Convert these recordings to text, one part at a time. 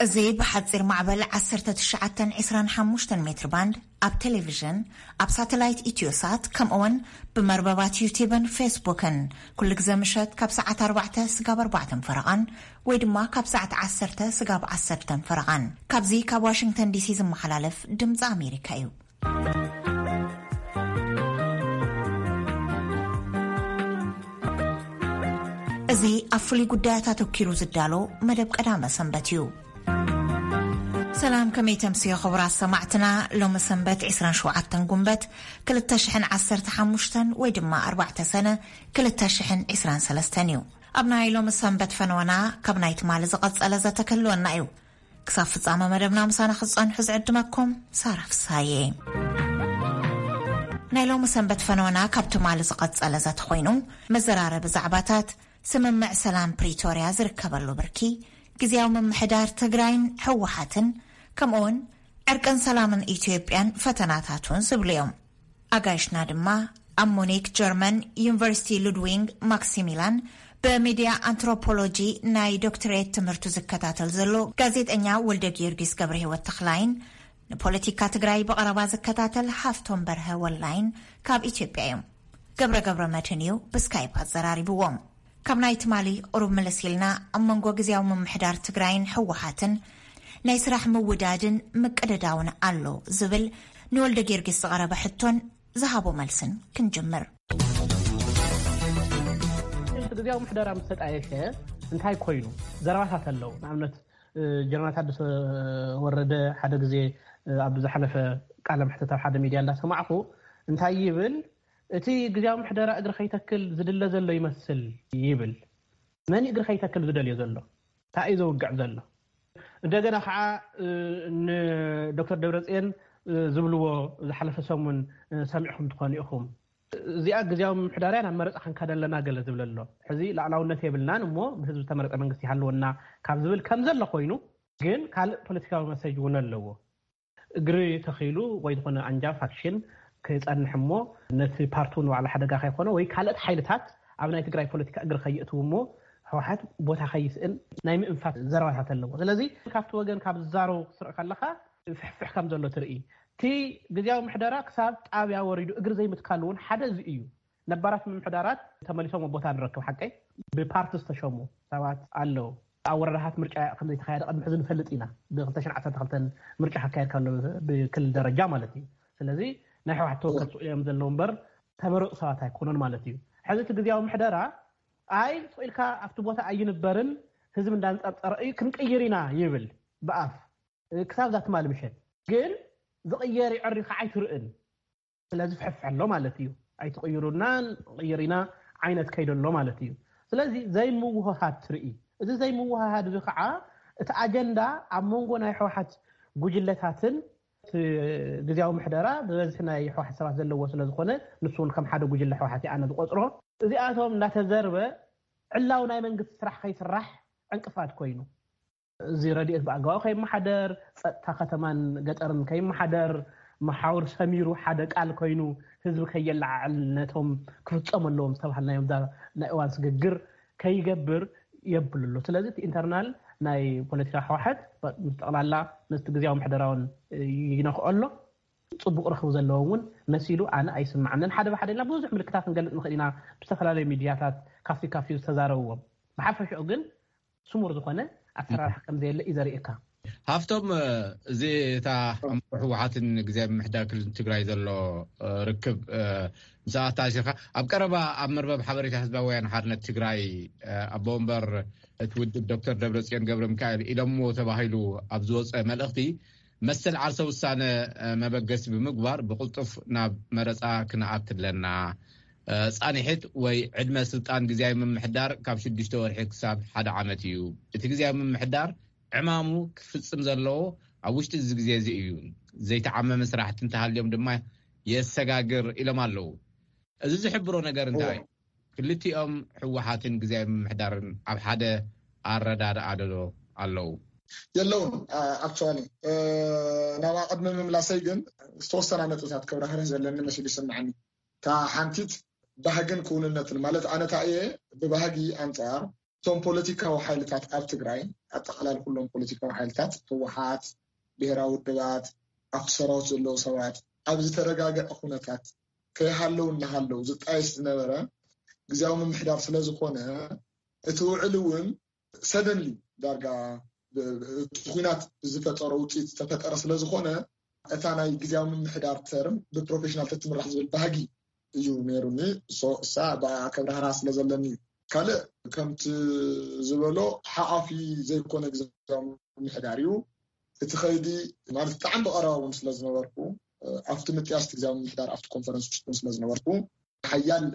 እዚ ብሓጺር ማዕበል ዓሰርተ ትሽዓተ ዕስራን ሓሙሽተን ሜትር ባንድ ኣብ ቴሌቪዥን፣ ኣብ ሳተላይት ኢትዮሳት፣ ከምኡውን ብመርበባት ዩቲብን ፌስቡክን ኩሉ ግዜ ምሸት ካብ ሰዓት ኣርባዕተ ስጋብ ኣርባዕተን ፈረቓን ወይ ድማ ካብ ሰዓት ዓሰርተ ስጋብ ዓሰርተን ፈረቓን ካብዚ ካብ ዋሽንግተን ዲሲ ዝመሓላለፍ ድምፂ ኣሜሪካ እዩ። እዚ ኣብ ፍሉይ ጉዳያት ኣተኪሩ ዝዳሎ መደብ ቀዳመ ሰንበት እዩ። ሰላም፣ ከመይ ተምስዮ ክቡራት ሰማዕትና? ሎሚ ሰንበት ዕስራን ሸውዓተን ጉንበት ክልተ ሽሕን ዓሰርተ ሓሙሽተን ወይ ድማ ኣርባዕተ ሰነ ክልተ ሽሕን ዕስራን ሰለስተን እዩ። ኣብ ናይ ሎሚ ሰንበት ፈነወና ካብ ናይ ትማሊ ዝቐጸለ ዘተክህልወና እዩ። ክሳብ ፍጻመ መደብና ምሳና ክትጸንሑ ዝዕድመኩም ሳራ ፍሳዬ። ናይ ሎሚ ሰንበት ፈነወና ካብ ትማሊ ዝቐጸለ ዘተኮይኑ፣ መዘራረቢ ዛዕባታት፣ ስምምዕ ሰላም ፕሪቶርያ ዝርከበሉ ብርኪ፣ ግዝያዊ ምምሕዳር ትግራይን ህወሓትን፣ ከምኡውን ዕርቅን ሰላምን ኢትዮጵያን ፈተናታቱን ዝብሉ እዮም። ኣጋይሽና ድማ ኣብ ሙኒክ ጀርመን ዩኒቨርሲቲ ሉድዊንግ ማክሲሚላን ብሚድያ ኣንትሮፖሎጂ ናይ ዶክትሬት ትምህርቱ ዝከታተል ዘሎ ጋዜጠኛ ወልደ ጊዮርጊስ ገብረ ህይወት ተኽላይን ንፖለቲካ ትግራይ ብቐረባ ዝከታተል ሃፍቶም በርሀ ወላይን ካብ ኢትዮጵያ እዮም። ገብረ ገብረ መድህን እዩ ብስካይፕ ኣዘራሪብዎም። ካብ ናይ ትማሊ ቁሩብ ምልስ ኢልና ኣብ መንጎ ግዝያዊ ምምሕዳር ትግራይን ህወሓትን ናይ ስራሕ ምውዳድን ምቅድዳውን ኣሎ ዝብል ንወልደ ጊዮርጊስ ዝቐረበ ሕቶን ዝሃቦ መልስን ክንጅምር። እቲ ግዝያዊ ምሕደራ ምስ ተጣየሸ እንታይ ኮይኑ ዘረባታት ኣለዉ። ንኣብነት ጀነራል ታደሰ ወረደ ሓደ ግዜ ኣብ ዝሓለፈ ቃለ መሕተት ኣብ ሓደ ሚድያ እንዳሰማዕኹ እንታይ ይብል፣ እቲ ግዝያዊ ምሕደራ እግሪ ከይተክል ዝድለ ዘሎ ይመስል ይብል። መን እግሪ ከይተክል ዝደልዮ ዘሎ? እንታይ እዩ ዘውግዕ ዘሎ? እንደገና ከዓ ንዶክተር ደብረፅየን ዝብልዎ ዝሓለፈ ሰሙን ሰሚዕኹም ትኾኑ ኢኹም። እዚኣ ግዝያዊ ምምሕዳር እያ፣ ናብ መረፃ ክንከድ ኣለና ገለ ዝብል ኣሎ። ሕዚ ላዕላውነት የብልናን እሞ ብህዝቢ ዝተመረፀ መንግስቲ ይሃልወና ካብ ዝብል ከም ዘሎ ኮይኑ፣ ግን ካልእ ፖለቲካዊ መሰጅ እውን ኣለዎ። እግሪ ተኺሉ ወይ ዝኾነ ኣንጃ ፋክሽን ክፀንሕ እሞ ነቲ ፓርቱ ንባዕሉ ሓደጋ ከይኮነ ወይ ካልኦት ሓይልታት ኣብ ናይ ትግራይ ፖለቲካ እግሪ ከየእትው እሞ ህወሓት ቦታ ከይስእን ናይ ምእንፋት ዘረባታት ኣለዎ። ስለዚ ካብቲ ወገን ካብ ዝዛረቡ ክትርኢ ከለካ ፍሕፍሕ ከም ዘሎ ትርኢ። እቲ ግዝያዊ ምሕደራ ክሳብ ጣብያ ወሪዱ እግሪ ዘይምትካሉ እውን ሓደ እዚ እዩ። ነባራት ምምሕዳራት ተመሊሶም ኣብ ቦታ ንረክብ ሓቀይ ብፓርቲ ዝተሸሙ ሰባት ኣለዉ። ኣብ ወረዳታት ምርጫ ከም ዘይተኻየደ ቅድሚ ሕዚ ንፈልጥ ኢና። ብ ክልተ ሽሕን ዓሰርተ ክልተን ምርጫ ክካየድ ከሎ ብክልል ደረጃ ማለት እዩ። ስለዚ ናይ ህወሓት ተወከልቲ እዮም ዘለዉ እምበር ተመረፁ ሰባት ኣይኮኑን ማለት እዩ። ሕዚ እቲ ግዝያዊ ምሕደራ ኣይ ስቕ ኢልካ ኣብቲ ቦታ ኣይንበርን ህዝቢ እንዳንፀርፀረ እዩ ክንቅይር ኢና ይብል ብኣፍ ክሳብ እዛ ትማሊ ምሸት ግን ዝቕየር ይዕሪ ከዓ ኣይትርእን። ስለዚ ፍሕፍሕ ኣሎ ማለት እዩ። ኣይትቕይሩናን ቅይር ኢና ዓይነት ከይደ ኣሎ ማለት እዩ። ስለዚ ዘይምውህሃድ ትርኢ። እዚ ዘይምውህሃድ እዚ ከዓ እቲ ኣጀንዳ ኣብ መንጎ ናይ ህወሓት ጉጅለታትን እቲ ግዝያዊ ምሕደራ ብበዝሒ ናይ ህወሓት ሰባት ዘለዎ ስለዝኾነ ንሱ እውን ከም ሓደ ጉጅለ ህወሓት ኣነ ዝቆፅሮ እዚኣቶም እንዳተዘርበ ዕላዊ ናይ መንግስቲ ስራሕ ከይስራሕ ዕንቅፋት ኮይኑ እዚ ረድኤት ብኣግባቡ ከይመሓደር፣ ፀጥታ ከተማን ገጠርን ከይመሓደር፣ መሓውር ሰሚሩ ሓደ ቃል ኮይኑ ህዝቢ ከየለዓዕል ነቶም ክፍፀሙ ኣለዎም ዝተባሃልናዮም እዛ ናይ እዋን ስግግር ከይገብር የብል ኣሎ። ስለዚ እቲ ኢንተርናል ናይ ፖለቲካ ህወሓት ምስ ጠቕላላ ምስቲ ግዝያዊ ምሕደራውን ይነኽኦ ኣሎ። ፅቡቕ ርክብ ዘለዎም እውን መሲሉ ኣነ ኣይስምዓንን። ሓደ ብሓደ ኢልና ብዙሕ ምልክታት ክንገልፅ ንኽእል ኢና ብዝተፈላለዩ ሚድያታት ካፍቲ ካፍቲ ዝተዛረብዎም። ብሓፈሽኡ ግን ስሙር ዝኾነ ኣሰራርሓ ከም ዘየለ እዩ ዘርእየካ። ሃፍቶም እዚ እታ ኣብ መንጎ ህወሓትን ግዝያዊ ምምሕዳር ክልል ትግራይ ዘሎ ርክብ ምስ ኣታሲርካ ኣብ ቀረባ ኣብ መርበብ ሓበሬታ ህዝባዊ ወያነ ሓርነት ትግራይ ኣቦ ወንበር እቲ ውድብ ዶክተር ደብረፅዮን ገብረ ሚካኤል ኢሎምዎ ተባሂሉ ኣብ ዝወፀ መልእኽቲ መሰል ዓርሰ ውሳነ መበገሲ ብምግባር ብቕልጡፍ ናብ መረፃ ክንኣቱ ኣለና። ፃንሒት ወይ ዕድመ ስልጣን ግዝያዊ ምምሕዳር ካብ ሽዱሽተ ወርሒ ክሳብ ሓደ ዓመት እዩ። እቲ ግዝያዊ ምምሕዳር ዕማሙ ክፍፅም ዘለዎ ኣብ ውሽጢ እዚ ግዜ እዚ እዩ። ዘይተዓመመ ስራሕቲ እንተሃልዮም ድማ የሰጋግር ኢሎም ኣለዉ። እዚ ዝሕብሮ ነገር እንታይ እዩ? ክልቲኦም ህወሓትን ግዝያዊ ምምሕዳርን ኣብ ሓደ ኣረዳድኣ ዶ ኣለዉ? የለውን ኣክቹዋሊ ናብኣ ቅድሚ ምምላሰይ ግን ዝተወሰና ነጥብታት ከብራህርህ ዘለኒ መሲሉ ይስምዓኒ። እታ ሓንቲት ባህግን ክውንነትን ማለት ኣነ እየ ብባህጊ ኣንፃር እቶም ፖለቲካዊ ሓይልታት ኣብ ትግራይ፣ ኣጠቓላሊ ኩሎም ፖለቲካዊ ሓይልታት፣ ህወሓት፣ ብሄራዊ ውድባት፣ ኣብቲ ሰራዊት ዘለዉ ሰባት ኣብ ዝተረጋገዐ ኩነታት ከይሃለዉ እናሃለዉ ዝጣየስ ዝነበረ ግዜያዊ ምምሕዳር ስለ ዝኾነ፣ እቲ ውዕል እውን ሰደንሊ ዳርጋ እቲ ኩናት ዝፈጠሮ ውፅኢት ዝተፈጠረ ስለ ዝኾነ፣ እታ ናይ ግዜያዊ ምምሕዳር ተርም ብፕሮፌሽናል ተትምራሕ ዝብል ባህጊ እዩ ነይሩኒ። እሳ ብኣከብራህራ ስለ ዘለኒ እዩ። ካልእ ከምቲ ዝበሎ ሓኣፊ ዘይኮነ ግዜያዊ ምምሕዳር እዩ። እቲ ኸይዲ ማለት ብጣዕሚ ብቐረባ እውን ስለ ዝነበርኩ፣ ኣብቲ ምጥያስ ግዜያዊ ምምሕዳር ኣብቲ ኮንፈረንስ ውሽጥን ስለ ዝነበርኩ፣ ሓያል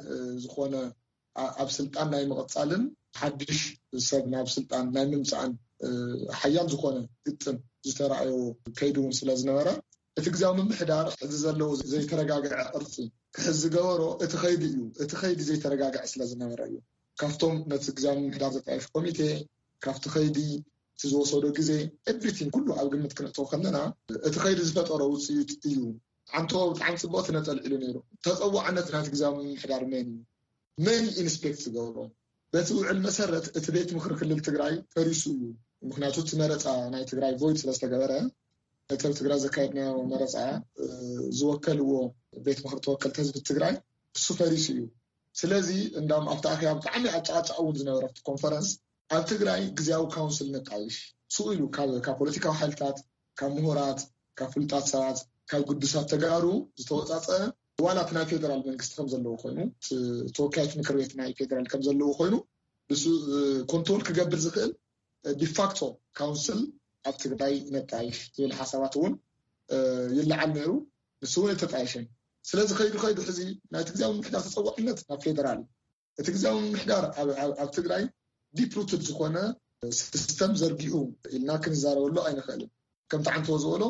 ዝኾነ ኣብ ስልጣን ናይ ምቕፃልን ሓድሽ ሰብ ናብ ስልጣን ናይ ምምፃእን ሓያል ዝኾነ ግጥም ዝተረኣዮ ከይዲ እውን ስለ ዝነበረ፣ እቲ ግዜያዊ ምምሕዳር ሕዚ ዘለዎ ዘይተረጋገዐ ቅርፂ ክሕዝ ዝገበሮ እቲ ከይዲ እዩ። እቲ ከይዲ ዘይተረጋገዐ ስለ ዝነበረ እዩ። ካብቶም ነቲ ግዜያዊ ምምሕዳር ዘጣይሽ ኮሚቴ፣ ካብቲ ከይዲ፣ እቲ ዝወሰዶ ግዜ፣ ኤቭሪቲንግ ኩሉ ኣብ ግምት ክነእተው ከለና፣ እቲ ከይዲ ዝፈጠሮ ውፅኢት እዩ። ዓንቶ ብጣዕሚ ፅቡቅ ትነጠልዒሉ ነይሩ። ተፀዋዕነት ናይቲ ግዜያዊ ምምሕዳር መን እዩ? መን ኢንስፔክት ዝገብሮ? በቲ ውዕል መሰረት እቲ ቤት ምክሪ ክልል ትግራይ ፈሪሱ እዩ። ምክንያቱ እቲ መረፃ ናይ ትግራይ ቮይድ ስለዝተገበረ፣ እቲ ኣብ ትግራይ ዘካየድናዮ መረፃ ዝወከልዎ ቤት ምክሪ ተወከልቲ ህዝቢ ትግራይ እሱ ፈሪሱ እዩ። ስለዚ እንዳም ኣብቲ ኣኼባ ብጣዕሚ ኣጫቃጫቂ እውን ዝነበረ ኣብቲ ኮንፈረንስ፣ ኣብ ትግራይ ግዜያዊ ካውንስል ነጣይሽ፣ ስኡ ኢሉ ካብ ፖለቲካዊ ሓይልታት፣ ካብ ምሁራት፣ ካብ ፍሉጣት ሰባት፣ ካብ ግዱሳት ተጋሩ ዝተወፃፀ፣ ዋላ እቲ ናይ ፌደራል መንግስቲ ከም ዘለዎ ኮይኑ፣ ተወካዮች ምክር ቤት ናይ ፌደራል ከም ዘለዎ ኮይኑ፣ ንሱ ኮንትሮል ክገብር ዝኽእል ዲፋክቶ ካውንስል ኣብ ትግራይ ነጣይሽ ዝብል ሓሳባት እውን ይለዓል ነይሩ። ንሱ እውን ኣይተጣየሸን። ስለዚ ከይዱ ከይዱ ሕዚ ናይቲ ግዜያዊ ምምሕዳር ተፀዋዕነት ናብ ፌደራል እዩ። እቲ ግዜያዊ ምምሕዳር ኣብ ትግራይ ዲፕ ሩትድ ዝኾነ ሲስተም ዘርጊሑ ኢልና ክንዛረበሉ ኣይንኽእልን። ከምቲ ዓንቶ ዝበሎ፣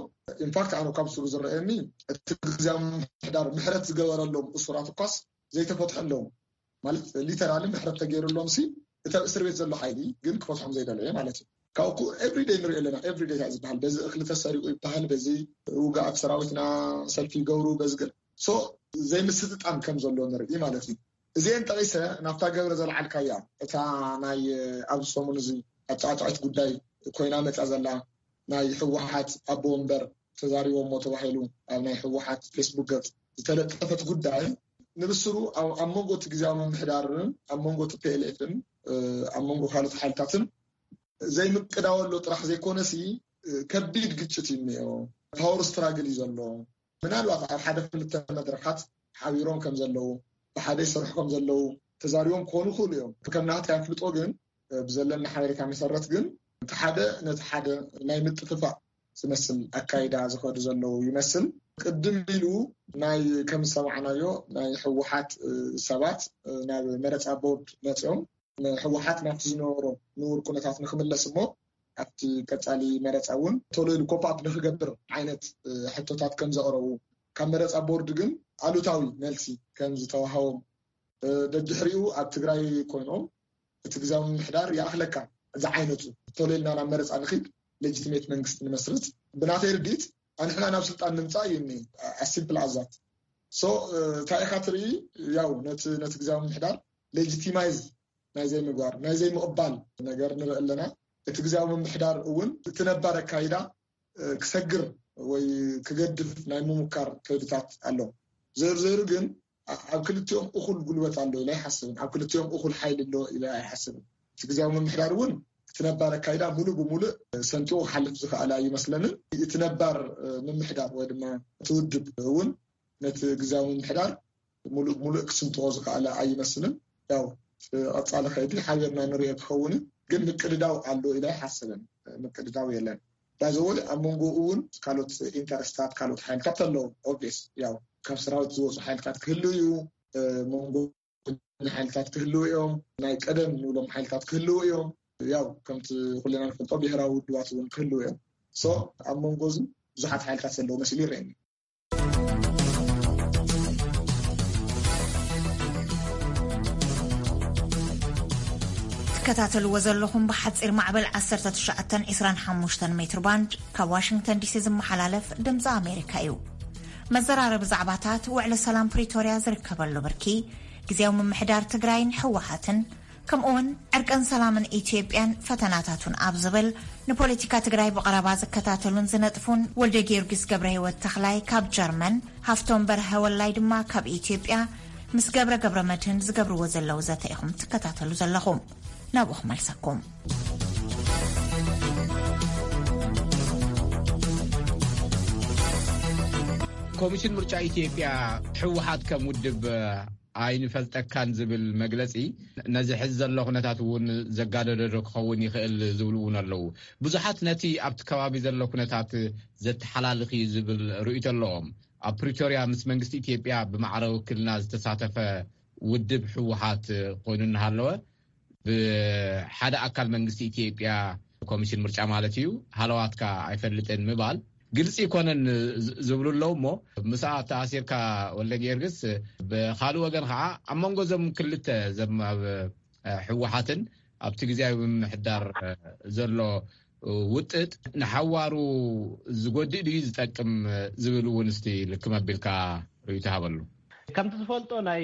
ኢንፋክት ኣነ ካብ ስሩ ዝረኣየኒ፣ እቲ ግዜያዊ ምምሕዳር ምሕረት ዝገበረሎም እሱራት እኳስ ዘይተፈትሐ ኣለዉ። ማለት ሊተራሊ ምሕረት ተገይሩሎም ሲ፣ እቲ ኣብ እስር ቤት ዘሎ ሓይሊ ግን ክፈትሖም ዘይደለየ ማለት እዩ። ካብኩ ኤቭሪደይ ንሪኦ ኣለና። ኤቭሪደይ እንታይ ዝበሃል፣ በዚ እኽሊ ተሰሪቁ ይበሃል፣ በዚ ውግኣት ሰራዊትና ሰልፊ ይገብሩ፣ በዚ ገ- ሶ ዘይምስጥጣም ከም ዘሎ ንርኢ ማለት እዩ። እዚአን ጠቂሰ ናብታ ገብረ ዘልዓልካያ፣ እታ ናይ ኣብዚ ሰሙን እዚ ኣጫቃጫቂት ጉዳይ ኮይና መፃ ዘላ፣ ናይ ህወሓት ኣቦ ወንበር ተዛሪቦሞ ተባሂሉ ኣብ ናይ ህወሓት ፌስቡክ ገፅ ዝተለጠፈት ጉዳይ፣ ንብስሩ ኣብ መንጎ እቲ ግዜያዊ ምምሕዳርን ኣብ መንጎ እቲ ፒኤልኤፍን ኣብ መንጎ ካልኦት ሓይልታትን ዘይምቅዳው ኣሎ ጥራሕ ዘይኮነሲ፣ ከቢድ ግጭት እዩ እኒኦ። ፓወር ስትራግል እዩ ዘሎ። ምናልባት ኣብ ሓደ ክልተ መድረኻት ሓቢሮም ከም ዘለዉ፣ ብሓደ ይሰርሑ ከም ዘለዉ ተዛሪቦም ክኾኑ ይኽእሉ እዮም። ከም ናህታይ ኣፍልጦ ግን፣ ብዘለኒ ሓበሬታ መሰረት ግን፣ እቲ ሓደ ነቲ ሓደ ናይ ምጥፍፋእ ዝመስል ኣካይዳ ዝኸዱ ዘለዉ ይመስል። ቅድም ኢሉ ናይ ከም ዝሰማዕናዮ ናይ ህወሓት ሰባት ናብ መረፃ ቦርድ መፅኦም፣ ህወሓት ናብቲ ዝነበሮ ንቡር ኩነታት ንክምለስ እሞ ኣብቲ ቀፃሊ መረፃ እውን ቶሎ ኢሉ ኮፕ ኣፕ ንክገብር ዓይነት ሕቶታት ከም ዘቕረቡ፣ ካብ መረፃ ቦርድ ግን ኣሉታዊ መልሲ ከም ዝተዋሃቦም፣ ደድሕሪኡ ኣብ ትግራይ ኮይኖም እቲ ግዜያዊ ምምሕዳር ይኣኽለካ ዝዓይነቱ፣ ቶሎ ኢልና ናብ መረፃ ንኺድ፣ ሌጂቲሜት መንግስቲ ንመስርት፣ ብናተይ ርድኢት ኣንሕና ናብ ስልጣን ንምፃእ እዩ እኒ ኣሲምፕል ኣዛት ሶ እንታይ ኢኻ ትርኢ? ያው ነቲ ነቲ ግዜያዊ ምምሕዳር ሌጂቲማይዝ ናይ ዘይምግባር፣ ናይ ዘይምቕባል ነገር ንርኢ ኣለና። እቲ ግዜያዊ ምምሕዳር እውን እቲ ነባር ኣካይዳ ክሰግር ወይ ክገድፍ ናይ ምሙካር ከይድታት ኣሎ። ዘይሩ ዘይሩ ግን ኣብ ክልቲኦም እኹል ጉልበት ኣሎ ኢለ ኣይሓስብን። ኣብ ክልቲኦም እኹል ሓይሊ ኣሎ ኢለ ኣይሓስብን። እቲ ግዜያዊ ምምሕዳር እውን እቲ ነባር ኣካይዳ ሙሉእ ብሙሉእ ሰንጢቑ ክሓልፍ ዝኸኣለ ኣይመስለንን። እቲ ነባር ምምሕዳር ወይ ድማ እቲ ውድብ እውን ነቲ ግዜያዊ ምምሕዳር ሙሉእ ብሙሉእ ክስንጥቆ ዝኸኣለ ኣይመስልን። ያው ቀፃሊ ከይዲ ሓቢርና ንሪኦ ክኸውን፣ ግን ምቅድዳው ኣሎ ኢለ ኣይሓስብን። ምቅድዳው የለን። ባይዘወይ ኣብ መንጎ እውን ካልኦት ኢንተረስታት ካልኦት ሓይልታት ኣለዉ። ኦብቪየስ ያው ካብ ሰራዊት ዝወፁ ሓይልታት ክህልው እዩ። መንጎ ሓይልታት ክህልው እዮም። ናይ ቀደም ንብሎም ሓይልታት ክህልው እዮም። ያው ከምቲ ኩልና ንፈልጦ ብሄራዊ ውድባት እውን ክህልው እዮም። ሶ ኣብ መንጎ እዚ ብዙሓት ሓይልታት ዘለዉ መሲሉ ይረአኒ። ትከታተልዎ ዘለኹም ብሓፂር ማዕበል ዓሰርተ ትሽዓተ ዕስራን ሓሙሽተን ሜትር ባንድ ካብ ዋሽንግተን ዲሲ ዝመሓላለፍ ድምፂ ኣሜሪካ እዩ። መዘራረቢ ዛዕባታት ውዕሊ ሰላም ፕሪቶርያ ዝርከበሉ ብርኪ፣ ግዜያዊ ምምሕዳር ትግራይን ህወሓትን ከምኡውን ዕርቅን ሰላምን ኢትዮጵያን ፈተናታቱን ኣብ ዝብል ንፖለቲካ ትግራይ ብቐረባ ዝከታተሉን ዝነጥፉን ወልደ ጊዮርጊስ ገብረ ህይወት ተኽላይ ካብ ጀርመን፣ ሃፍቶም በርሀ ወላይ ድማ ካብ ኢትዮጵያ ምስ ገብረ ገብረ መድህን ዝገብርዎ ዘለዉ ዘተ ኢኹም ትከታተሉ ዘለኹም። ናብኡ ክመልሰኩም። ኮሚሽን ምርጫ ኢትዮጵያ፣ ህወሓት ከም ውድብ ኣይንፈልጠካን ዝብል መግለጺ፣ ነዚ ሕዚ ዘሎ ኩነታት እውን ዘጋደደ ዶ ክኸውን ይኽእል ዝብሉ እውን ኣለዉ። ብዙሓት ነቲ ኣብቲ ከባቢ ዘሎ ኩነታት ዘተሓላልኽ እዩ ዝብል ርእይቶ ኣለዎም። ኣብ ፕሪቶርያ ምስ መንግስቲ ኢትዮጵያ ብማዕረ ውክልና ዝተሳተፈ ውድብ ህወሓት ኮይኑ እናሃለወ፣ ብሓደ ኣካል መንግስቲ ኢትዮጵያ፣ ኮሚሽን ምርጫ ማለት እዩ፣ ሃለዋትካ ኣይፈልጥን ምባል ግልፂ ይኮነን ዝብሉ ኣለዉ። እሞ ምስኣ ተኣሲርካ፣ ወልደ ጊዮርጊስ፣ ብካልእ ወገን ከዓ ኣብ መንጎ እዞም ክልተ፣ እዞም ኣብ ህወሓትን ኣብቲ ግዜያዊ ምምሕዳር ዘሎ ውጥጥ ንሓዋሩ ዝጎድእ ድዩ ዝጠቅም ዝብል እውን እስቲ ልክም ኣቢልካ ርእይቶ ሃበሉ። ከምቲ ዝፈልጦ፣ ናይ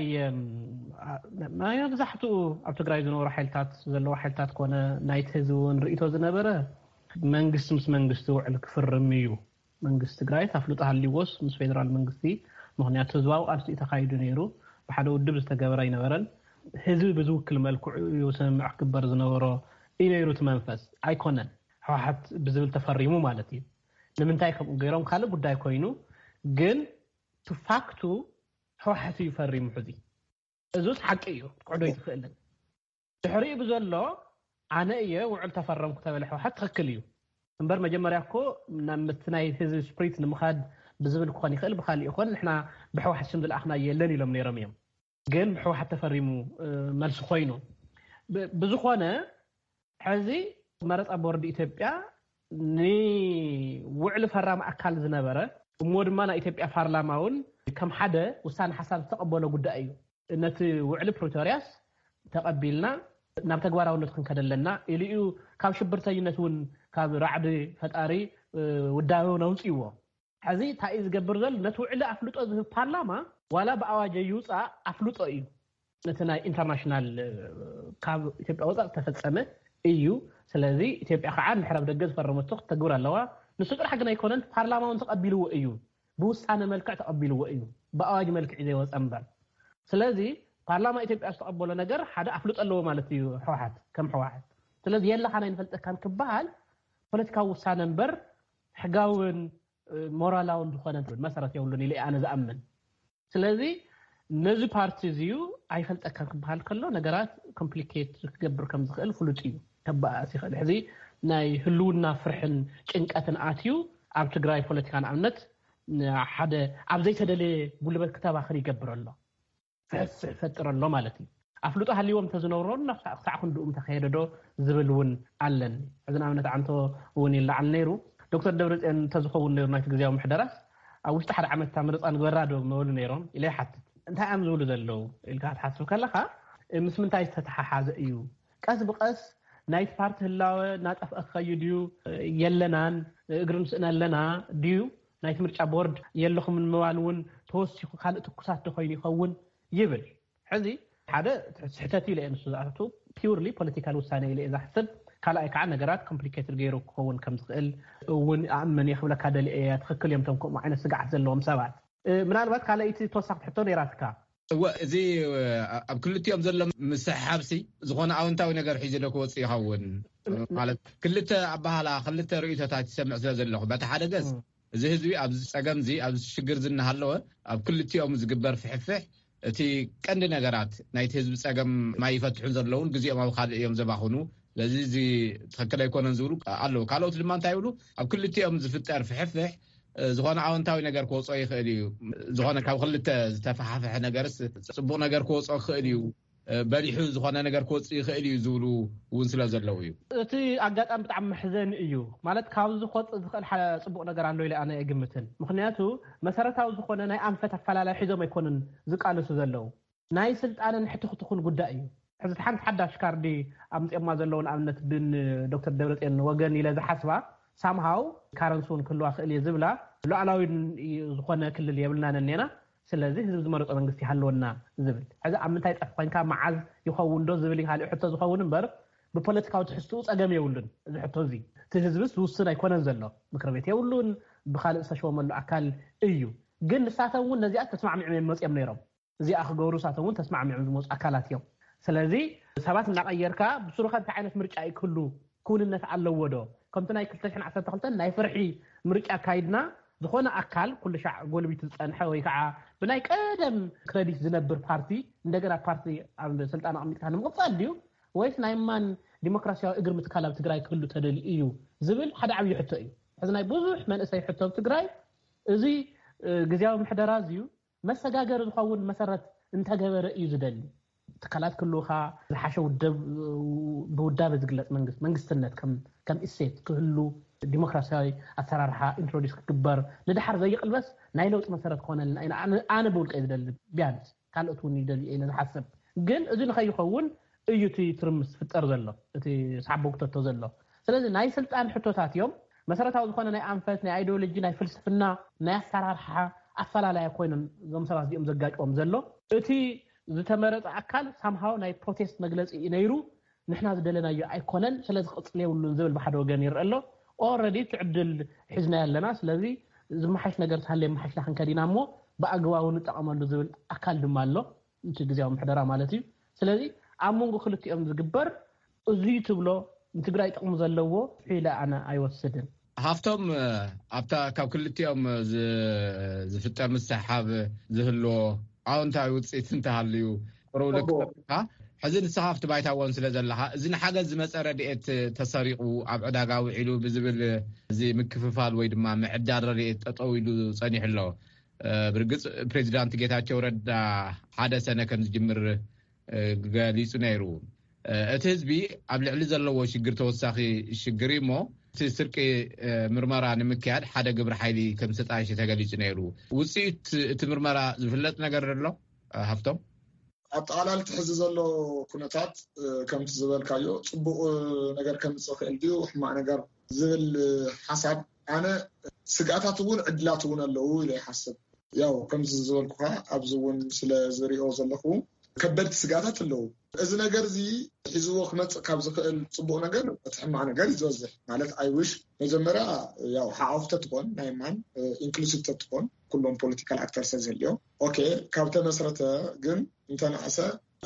ናይ መብዛሕትኡ ኣብ ትግራይ ዝነበሩ ሓይልታት፣ ዘለዉ ሓይልታት ኮነ ናይቲ ህዝቢ እውን ርእይቶ ዝነበረ፣ መንግስቲ ምስ መንግስቲ ውዕል ክፍርም እዩ። መንግስቲ ትግራይ ኣፍልጦ ሃልይዎስ ምስ ፌደራል መንግስቲ፣ ምኽንያቱ ህዝባዊ ቃልሲ እዩ ተኻይዱ ነይሩ። ብሓደ ውድብ ዝተገበረ ኣይነበረን። ህዝቢ ብዝውክል መልክዑ እዩ ስምምዕ ክግበር ዝነበሮ እዩ ነይሩ። እቲ መንፈስ ኣይኮነን፣ ህወሓት ብዝብል ተፈሪሙ ማለት እዩ። ንምንታይ ከምኡ ገይሮም ካልእ ጉዳይ ኮይኑ፣ ግን ቱፋክቱ ህወሓት እዩ ፈሪሙ። ሕዚ እዙስ ሓቂ እዩ፣ ክትክሕዶ ኣይትኽእልን። ድሕሪኡ ብዘሎ ኣነ እየ ውዕል ተፈረምኩ ተበለ ህወሓት ትኽክል እዩ። እምበር መጀመርያ እኮ ናብ ምት ናይ ህዝቢ ስፕሪት ንምኻድ ብዝብል ክኾን ይኽእል፣ ብኻሊእ ይኾን፣ ንሕና ብህወሓት ሽም ዝለኣኽና የለን ኢሎም ነይሮም እዮም። ግን ብህወሓት ተፈሪሙ፣ እ፣ መልሲ ኮይኑ። ብ-፣ ብዝኾነ፣ ሕዚ መረፃ ቦርድ ኢትዮጵያ ንውዕሊ ፈራሚ ኣካል ዝነበረ፣ እሞ ድማ ናይ ኢትዮጵያ ፓርላማ እውን ከም ሓደ ውሳነ ሓሳብ ዝተቐበሎ ጉዳይ እዩ። ነቲ ውዕሊ ፕሪቶርያስ ተቐቢልና ናብ ተግባራውነት ክንከድ ኣለና ኢሉ እዩ። ካብ ሽብርተኝነት እውን፣ ካብ ራዕዲ ፈጣሪ፣ እ፣ ውዳበ እውን ኣውፅእዎ። ሕዚ እንታይ እዩ ዝገብር ዘሎ? ነቲ ውዕሊ ኣፍልጦ ዝህብ ፓርላማ ዋላ ብኣዋጅ ይውፃእ ኣፍልጦ እዩ። ነቲ ናይ ኢንተርናሽናል፣ እ፣ ካብ ኢትዮጵያ ወፃእ ዝተፈፀመ እዩ። ስለዚ ኢትዮጵያ ከዓ እንድሕር ኣብ ደገ ዝፈረመቶ ክትተግብር ኣለዋ። ንሱ ጥራሕ ግን ኣይኮነን፣ ፓርላማ እውን ተቐቢልዎ እዩ። ብውሳነ መልክዕ ተቐቢልዎ እዩ። ብኣዋጅ መልክዕ እዩ ዘይወፀ እምበር። ስለዚ ፓርላማ ኢትዮጵያ ዝተቐበሎ ነገር ሓደ ኣፍልጦ ኣለዎ ማለት እዩ ህወሓት፣ ከም ህወሓት። ስለዚ የለኻን ኣይንፈልጠካን ክበሃል ፖለቲካዊ ውሳነ እምበር ሕጋውን፣ እ፣ ሞራላውን ዝኾነ መሰረት የብሉን ኢለ ኣነ ዝኣምን። ስለዚ ነዚ ፓርቲ እዚ እዩ ኣይፈልጠካን ክበሃል ከሎ ነገራት ኮምፕሊኬት ክገብር ከም ዝኽእል ፍሉጥ እዩ። ከባኣስ ይኽእል። ሕዚ ናይ ህልውና ፍርሕን ጭንቀትን ኣትዩ ኣብ ትግራይ ፖለቲካ ንኣብነት ሓደ ኣብ ዘይተደለየ ጉልበት ክተባኽር ይገብር ኣሎ። ፍሕፍሕ ይፈጥር ኣሎ ማለት እዩ። ኣፍልጦ ሃልይዎም እንተዝነብሮና ክሳዕ፣ ክሳዕ ክንድኡ ምተኸየደ ዶ ዝብል እውን ኣለኒ። ሕዚ ንኣብነት ዓንቶ እውን ይለዓል ነይሩ። ዶክተር ደብረፅዮን እንተዝኸውን ነይሩ ናይቲ ግዜያዊ ምሕደራስ ኣብ ውሽጢ ሓደ ዓመት እታ ምርፃ ንግበራ ዶ ምበሉ ነይሮም ኢለ ይሓትት። እንታይ እዮም ዝብሉ ዘለዉ ኢልካ ክትሓስብ ከለኻ፣ እ፣ ምስ ምንታይ ዝተተሓሓዘ እዩ? ቀስ ብቐስ ናይቲ ፓርቲ ህላወ እናጠፍአ ክኸይድ እዩ፣ እ፣ የለናን፣ እ፣ እግሪ ንስእን ኣለና ድዩ? ናይቲ ምርጫ ቦርድ የለኹምን ምባል እውን ተወሲኹ ካልእ ትኩሳት ዶ ኮይኑ ይኸውን ይብል። ሕዚ ሓደ ስሕተት ኢለ እየ ንሱ ዝኣቱ፣ ፒውርሊ ፖለቲካል ውሳነ ኢለ እየ ዝሓስብ። ካልኣይ ከዓ ነገራት ኮምፕሊኬትድ ገይሩ ክኸውን ከም ዝኽእል እውን ኣእምን እየ ክብለካ ደልየ እየ። ትኽክል እዮም እቶም ከምኡ ዓይነት ስግዓት ዘለዎም ሰባት። እ፣ ምናልባት ካልኣይቲ ተወሳኺት ሕቶ ነይራትካ። እወ፣ እዚ፣ እ፣ ኣብ ክልቲኦም ዘሎ ምስሕሓብሲ ዝኾነ ኣወንታዊ ነገር ሒዙ ዶ ክወፅእ ይኸውን? እ፣ ማለት ክልተ ኣበሃላ፣ ክልተ ርእይቶታት ይሰምዕ ስለ ዘለኹ፣ በቲ ሓደ ገፅ እ። እዚ ህዝቢ ኣብዚ ፀገም እዚ፣ ኣብዚ ሽግር እዚ እናሃለወ ኣብ ክልቲኦም ዝግበር ፍሕፍሕ እቲ ቀንዲ ነገራት ናይቲ ህዝቢ ፀገም ማይ ይፈትሑን ዘለውን ግዜኦም ኣብ ካልእ እዮም ዘባኽኑ። ስለዚ እዚ ትኽክል ኣይኮነን ዝብሉ ኣለዉ። ካልኦት ድማ እንታይ ይብሉ? ኣብ ክልቲኦም ዝፍጠር ፍሕፍሕ፣ እ፣ ዝኾነ ኣወንታዊ ነገር ክወፅኦ ይኽእል እዩ። ዝኾነ ካብ ክልተ ዝተፈሓፈሐ ነገርስ ፅቡቕ ነገር ክወፅኦ ክኽእል እዩ። እ፣ በሊሑ ዝኾነ ነገር ክወፅእ ይኽእል እዩ ዝብሉ እውን ስለ ዘለዉ እዩ። እቲ ኣጋጣሚ ብጣዕሚ መሕዘኒ እዩ። ማለት ካብዚ ክወፅእ ዝኽእል ሓደ ፅቡቕ ነገር ኣሎ ኢለ ኣነ ኣይግምትን። ምኽንያቱ መሰረታዊ ዝኾነ ናይ ኣንፈት ኣፈላላይ ሒዞም ኣይኮኑን ዝቃለሱ ዘለዉ። ናይ ስልጣንን ሕትኽትኹን ጉዳይ እዩ። ሕዚ ሓንቲ ሓዳሽ ካርዲ ኣምፅኦማ ዘለዉ ንኣብነት ብን ዶክተር ደብረፅዮን ወገን ኢለ ዝሓስባ ሳምሃው ካረንሲ እውን ክህልዋ ክእል እየ ዝብላ ሉዓላዊ ዝኾነ ክልል የብልናን እኔና። ስለዚ ህዝቢ ዝመረፆ መንግስቲ ይሃለወና ዝብል። ሕዚ ኣብ ምንታይ ፀፍ ኮይንካ፣ መዓዝ ይኸውን ዶ ዝብል ካልእ ሕቶ ዝኸውን እምበር፣ ብፖለቲካዊ ትሕዝትኡ ፀገም የብሉን። እዚ ሕቶ እዚ እቲ ህዝብስ ዝውስን ኣይኮነን ዘሎ፣ ምክር ቤት የብሉን፣ ብካልእ ዝተሸወመሉ ኣካል እዩ። ግን ንሳቶም እውን ነዚኣ ተስማዕሚዖም እዮም መፅኦም ነይሮም። እዚኣ ክገብሩ ንሳቶም እውን ተስማዕሚዖም ዝመፁ ኣካላት እዮም። ስለዚ ሰባት እናቐየርካ ብስሩኸ እንታይ ዓይነት ምርጫ እዩ ክህሉ ክውንነት ኣለዎ ዶ? ከምቲ ናይ ክልተ ሽሕን ዓሰርተ ክልተን ናይ ፍርሒ ምርጫ ኣካይድና፣ ዝኾነ ኣካል ኩሉ ሻዕ ጎልቢቱ ዝፀንሐ ወይ ከዓ ብናይ ቀደም ክረዲት ዝነብር ፓርቲ እንደገና ፓርቲ ኣብ ስልጣን ኣቕሚጥካ ንምቕፃል ድዩ፣ ወይስ ናይ ማን ዲሞክራሲያዊ እግሪ ምትካል ኣብ ትግራይ ክህሉ ተደልዩ እዩ ዝብል ሓደ ዓብዪ ሕቶ እዩ። ሕዚ ናይ ብዙሕ መንእሰይ ሕቶ ኣብ ትግራይ፣ እዚ ግዝያዊ ምሕደራ እዚዩ መሰጋገሪ ዝኸውን መሰረት እንተገበረ እዩ ዝደሊ። ትካላት ክልውኻ፣ ዝሓሸ ውደብ፣ ብውዳበ ዝግለፅ መንግስት መንግስትነት ከም እሴት ክህሉ፣ ዲሞክራሲያዊ ኣሰራርሓ ኢንትሮዲስ ክግበር፣ ንድሓር ዘይቅልበስ ናይ ለውጢ መሰረት ክኾነልና ኢና ኣነ ብውልቀ ዝደሊ። ቢያንስ ካልኦት እውን ይደልዩ ኢለ ዝሓስብ። ግን እዚ ንኸይኸውን እዩ እቲ ትርምስ ዝፍጠር ዘሎ፣ እቲ ሳቦ ክተቶ ዘሎ። ስለዚ ናይ ስልጣን ሕቶታት እዮም። መሰረታዊ ዝኾነ ናይ ኣንፈት፣ ናይ ኣይዲዮሎጂ፣ ናይ ፍልስፍና፣ ናይ ኣሰራርሓ ኣፈላላይ ኮይኖም እዞም ሰባት እዚኦም ዘጋጭዎም ዘሎ። እቲ ዝተመረፀ ኣካል ሳምሃው ናይ ፕሮቴስት መግለፂ እዩ ነይሩ። ንሕና ዝደለናዮ ኣይኮነን፣ ስለዚ ክቕፅል የብሉን ዝብል ብሓደ ወገን ይረአ ኣሎ። ኦረዲ እቲ ዕድል ሒዝና ኣለና። ስለዚ ዝመሓሽ ነገር ተሃልየ መሓሽና ክንከድ ኢና እሞ ብኣግባቡ ንጠቐመሉ ዝብል ኣካል ድማ ኣሎ፣ እቲ ግዜያዊ ምሕደራ ማለት እዩ። ስለዚ ኣብ መንጎ ክልቲኦም ዝግበር እዙይ ትብሎ ንትግራይ ጥቕሚ ዘለዎ ኢለ ኣነ ኣይወስድን። ሃፍቶም፣ ኣብታ ካብ ክልቲኦም ዝፍጠር ምስሕሓብ ዝህልዎ ኣዎንታዊ ውፅኢት እንተሃልዩ ጥሩው ልክካ። ሕዚ ንስኻ ኣብቲ ባይታ እውን ስለ ዘለኻ፣ እዚ ንሓገዝ ዝመፀ ረድኤት ተሰሪቑ ኣብ ዕዳጋ ውዒሉ ብዝብል እዚ ምክፍፋል ወይ ድማ ምዕዳል ረድኤት ጠጠው ኢሉ ፀኒሑ ኣሎ። ብርግፅ ፕሬዚዳንት ጌታቸው ረዳ ሓደ ሰነ ከም ዝጅምር ገሊፁ ነይሩ። እቲ ህዝቢ ኣብ ልዕሊ ዘለዎ ሽግር ተወሳኺ ሽግር እዩ እሞ እቲ ስርቂ ምርመራ ንምክያድ ሓደ ግብረ ሓይሊ ከም ዝተጣየሸ ተገሊፁ ነይሩ። ውፅኢት እቲ ምርመራ ዝፍለጥ ነገር ኣሎ? ሃፍቶም? ኣጠቓላሊ እቲ ሕዚ ዘሎ ኩነታት ከምቲ ዝበልካዮ ፅቡቕ ነገር ከምፅእ ይኽእል ድዩ ሕማቕ ነገር ዝብል ሓሳብ ኣነ ስግኣታት እውን ዕድላት እውን ኣለዉ ኢለ ይሓስብ። ያው ከምዚ ዝበልኩኻ ኣብዚ እውን ስለ ዝሪኦ ዘለኹ ከበድቲ ስግኣታት ኣለዉ። እዚ ነገር እዚ ሒዝዎ ክመፅእ ካብ ዝኽእል ፅቡቕ ነገር እቲ ሕማቕ ነገር እዩ ዝበዝሕ። ማለት ኣይውሽ መጀመርያ ያው ሓቆፍ ተትኾን ናይ ማን ኢንክሉሲቭ ተትኾን ኩሎም ፖለቲካል ኣክተር ሰብ ዘልዮ ኦኬ ካብ ተመስረተ ግን እንተነኣሰ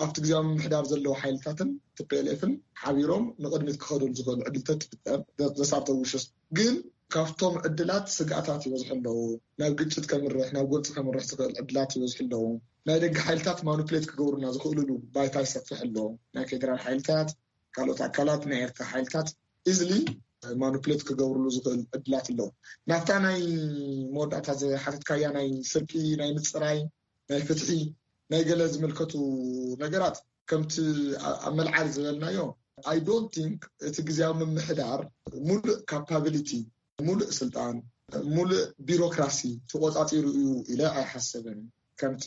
ኣብቲ ግዜያዊ ምምሕዳር ዘለዉ ሓይልታትን ቲፒኤልኤፍን ሓቢሮም ንቕድሚት ክኸዱሉ ዝኽእሉ ዕድልተት ትፍጠር ዘሳተው ውሽስ ግን ካብቶም ዕድላት ስግኣታት ይበዝሑ ኣለዉ። ናብ ግጭት ከምርሕ ናብ ጎንፂ ከምርሕ ዝኽእል ዕድላት ይበዝሑ ኣለዉ። ናይ ደገ ሓይልታት ማኑፕሌት ክገብሩና ዝኽእሉሉ ባይታ ይሰፍሕ ኣሎ። ናይ ፌደራል ሓይልታት ካልኦት ኣካላት ናይ ኤርትራ ሓይልታት ኢዝሊ ማኑፕሌት ክገብርሉ ዝኽእል ዕድላት ኣለዉ። ናብታ ናይ መወዳእታ ዝሓተትካያ ናይ ስርቂ ናይ ምፅራይ ናይ ፍትሒ ናይ ገለ ዝምልከቱ ነገራት ከምቲ ኣብ መልዓሊ ዝበልናዮ I don't think እቲ ግዜያዊ ምምሕዳር ሙሉእ ካፓቢሊቲ ሙሉእ ስልጣን ሙሉእ ቢሮክራሲ ተቆፃፂሩ እዩ ኢለ ኣይሓስብን። ከምቲ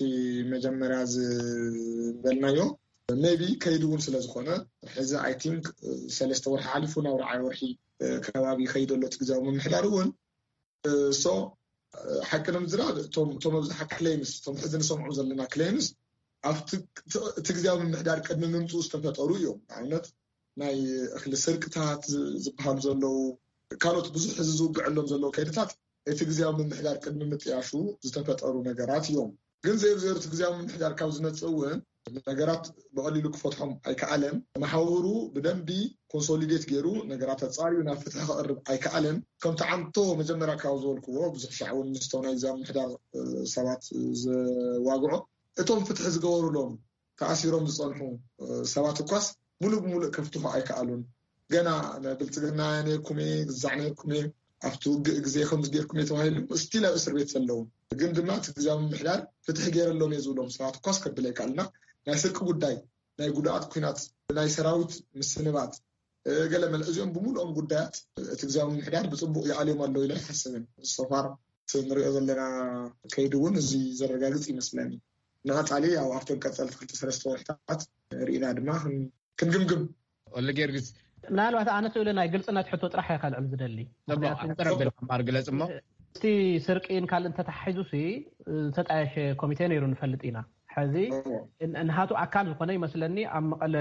መጀመርያ ዝበልናዮ maybe ከይዱ እውን ስለዝኾነ ሕዚ I think ሰለስተ ወርሒ ሓሊፉ ናብ ርዓይ ወርሒ ከባቢ ይኸይድ ኣሎ እቲ ግዜያዊ ምምሕዳር እውን so ሓቂ ንምዝራብ እቶም ኣብዝሓ ክሌምስ እቶም ሕዚ ንሰምዖም ዘለና ክሌምስ ኣብቲ እቲ ግዜያዊ ምምሕዳር ቅድሚ ምምፅኡ ዝተፈጠሩ እዮም። ንኣብነት ናይ እኽሊ ስርቅታት ዝበሃሉ ዘለዉ ካልኦት ብዙሕ ሕዚ ዝውግዐሎም ዘለዉ ከይድታት እቲ ግዜያዊ ምምሕዳር ቅድሚ ምጥያሹ ዝተፈጠሩ ነገራት እዮም። ግን ዘይሩ ዘይሩ እቲ ግዜያዊ ምምሕዳር ካብ ዝመፅእ እውን ነገራት ብቐሊሉ ክፈትሖም ኣይከኣለን። መሓውሩ ብደንቢ ኮንሶሊዴት ገይሩ ነገራት ኣፃርዩ ናብ ፍትሒ ክቐርብ ኣይከኣለን። ከምቲ ዓንቶ መጀመርያ ካብ ዝበልክዎ ብዙሕ ሻዕ እውን ምስቶም ናይ ግዜያዊ ምምሕዳር ሰባት ዘዋግዖ እቶም ፍትሒ ዝገበሩሎም ተኣሲሮም ዝፀንሑ ሰባት እኳስ ሙሉእ ብሙሉእ ከፍትሑ ኣይከኣሉን። ገና ብልፅግና ነርኩም እየ ግዛዕ ነርኩም እየ ኣብቲ ውግእ ግዜ ከምዚ ገርኩም እየ ተባሂሉ ስቲል ኣብ እስር ቤት ዘለዉ ግን ድማ እቲ ግዜያዊ ምምሕዳር ፍትሒ ገይረሎም እየ ዝብሎም ሰባት እኳስ ከብል ኣይከኣልና ናይ ስርቂ ጉዳይ ናይ ጉድኣት ኩናት ናይ ሰራዊት ምስንባት ገለ መለ እዚኦም ብምሉኦም ጉዳያት እቲ ግዜያዊ ምምሕዳር ብፅቡቕ ይኣልዮም ኣለዉ ኢለ ኣይሓስብን። ሶፋር ንሪኦ ዘለና ከይዲ እውን እዚ ዘረጋግፅ ይመስለኒ። ንቐፃሊ ኣብ ኣብተን ቀፀልቲ ክልተ ሰለስተ ወርሕታት ርኢና ድማ ክንግምግም። ወልደ ጊዮርጊስ ምናልባት ኣነ ስእለ ናይ ግልፅነት ሕቶ ጥራሕ እየ ከልዕል ዝደሊ። ኣንፀር ኣቢልካ እምበኣር ግለፅ እሞ እቲ ስርቂን ካልእ እንተተሓሒዙ ሲ ዝተጣየሸ ኮሚቴ ነይሩ ንፈልጥ ኢና። ሕዚ ንሃቱ ኣካል ዝኾነ ይመስለኒ ኣብ መቐለ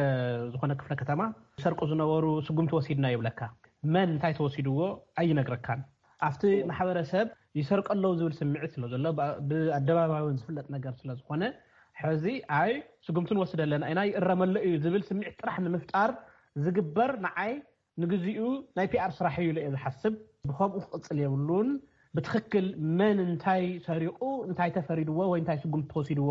ዝኾነ ክፍለ ከተማ ሰርቁ ዝነበሩ ስጉምቲ ወሲድና ይብለካ። መን እንታይ ተወሲድዎ ኣይነግረካን። ኣብቲ ማሕበረሰብ ይሰርቀ ኣለዉ ዝብል ስምዒት ስለ ዘሎ ብኣደባባይ እውን ዝፍለጥ ነገር ስለ ዝኾነ ሕዚ ኣይ ስጉምቲ ንወስድ ኣለና ኢና ይእረመሉ እዩ ዝብል ስምዒት ጥራሕ ንምፍጣር ዝግበር ንዓይ ንግዚኡ ናይ ፒኣር ስራሕ እዩ ኢለ እየ ዝሓስብ። ብኸምኡ ክቕፅል የብሉን። ብትኽክል መን እንታይ ሰሪቑ እንታይ ተፈሪድዎ ወይ እንታይ ስጉምቲ ተወሲድዎ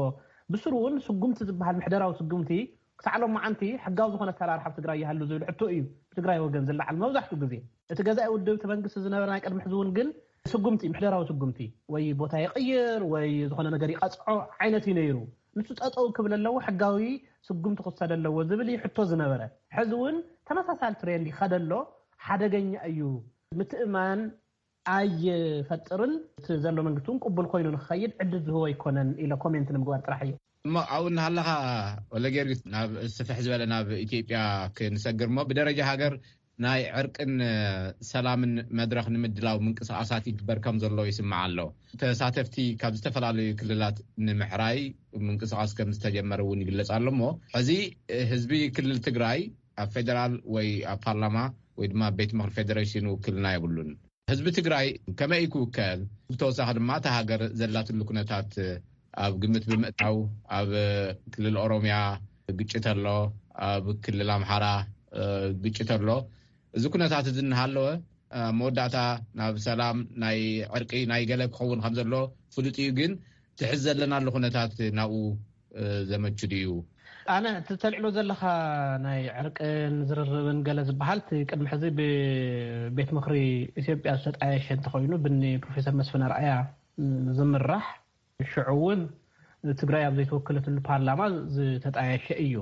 ብስሩ እውን ስጉምቲ ዝበሃል ምሕደራዊ ስጉምቲ ክሳዕ ሎማዓንቲ ሕጋዊ ዝኾነ ኣሰራርሓ ኣብ ትግራይ ይሃሉ ዝብል ሕቶ እዩ ብትግራይ ወገን ዝለዓል መብዛሕትኡ ግዜ። እቲ ገዛኢ ውድብ እቲ መንግስቲ ዝነበረ ናይ ቅድሚ ሕዚ እውን ግን ስጉምቲ ምሕደራዊ ስጉምቲ ወይ ቦታ ይቕይር ወይ ዝኾነ ነገር ይቐፅዖ ዓይነት እዩ ነይሩ። ንሱ ጠጠው ክብል ኣለዎ፣ ሕጋዊ ስጉምቲ ክወሰድ ኣለዎ ዝብል እዩ ሕቶ ዝነበረ። ሕዚ እውን ተመሳሳሊ ትሬንድ ይኸደ ኣሎ። ሓደገኛ እዩ። ምትእማን ኣይፈጥርን። እቲ ዘሎ መንግስቲ እውን ቅቡል ኮይኑ ንክኸይድ ዕድል ዝህቦ ኣይኮነን ኢለ ኮሜንት ንምግባር ጥራሕ እየ። እሞ ኣብኡ እናሃለኻ ወለጊዮርጊስ ናብ ስፍሕ ዝበለ ናብ ኢትዮጵያ ክንሰግር እሞ ብደረጃ ሃገር ናይ ዕርቅን ሰላምን መድረኽ ንምድላው ምንቅስቃሳት ይግበር ከም ዘሎ ይስማዕ ኣሎ። ተሳተፍቲ ካብ ዝተፈላለዩ ክልላት ንምሕራይ ምንቅስቃስ ከም ዝተጀመረ እውን ይግለጽ ኣሎ። እሞ ሕዚ ህዝቢ ክልል ትግራይ ኣብ ፌደራል ወይ ኣብ ፓርላማ ወይ ድማ ቤት ምኽሪ ፌዴሬሽን ውክልና የብሉን። ህዝቢ ትግራይ ከመይ ክውከል? ብተወሳኺ ድማ እታ ሃገር ዘላትሉ ኩነታት ኣብ ግምት ብምእታው ኣብ ክልል ኦሮሚያ ግጭት ኣሎ፣ ኣብ ክልል ኣምሓራ ግጭት ኣሎ። እዚ ኩነታት እዚ እናሃለወ መወዳእታ ናብ ሰላም ናይ ዕርቂ ናይ ገለ ክኸውን ከም ዘሎ ፍሉጥ እዩ። ግን ትሕዝ ዘለናሉ ኩነታት ናብኡ ዘመቹ ድዩ? ኣነ እቲ ተልዕሎ ዘለኻ ናይ ዕርቅን ዝርርብን ገለ ዝበሃል እቲ ቅድሚ ሕዚ ብቤት ምኽሪ ኢትዮጵያ ዝተጣየሸ እንተኾይኑ ብኒ ፕሮፌሰር መስፍን ኣርኣያ ዝምራሕ ሽዑ እውን ትግራይ ኣብ ዘይተወከለትሉ ፓርላማ ዝተጣየሸ እዩ።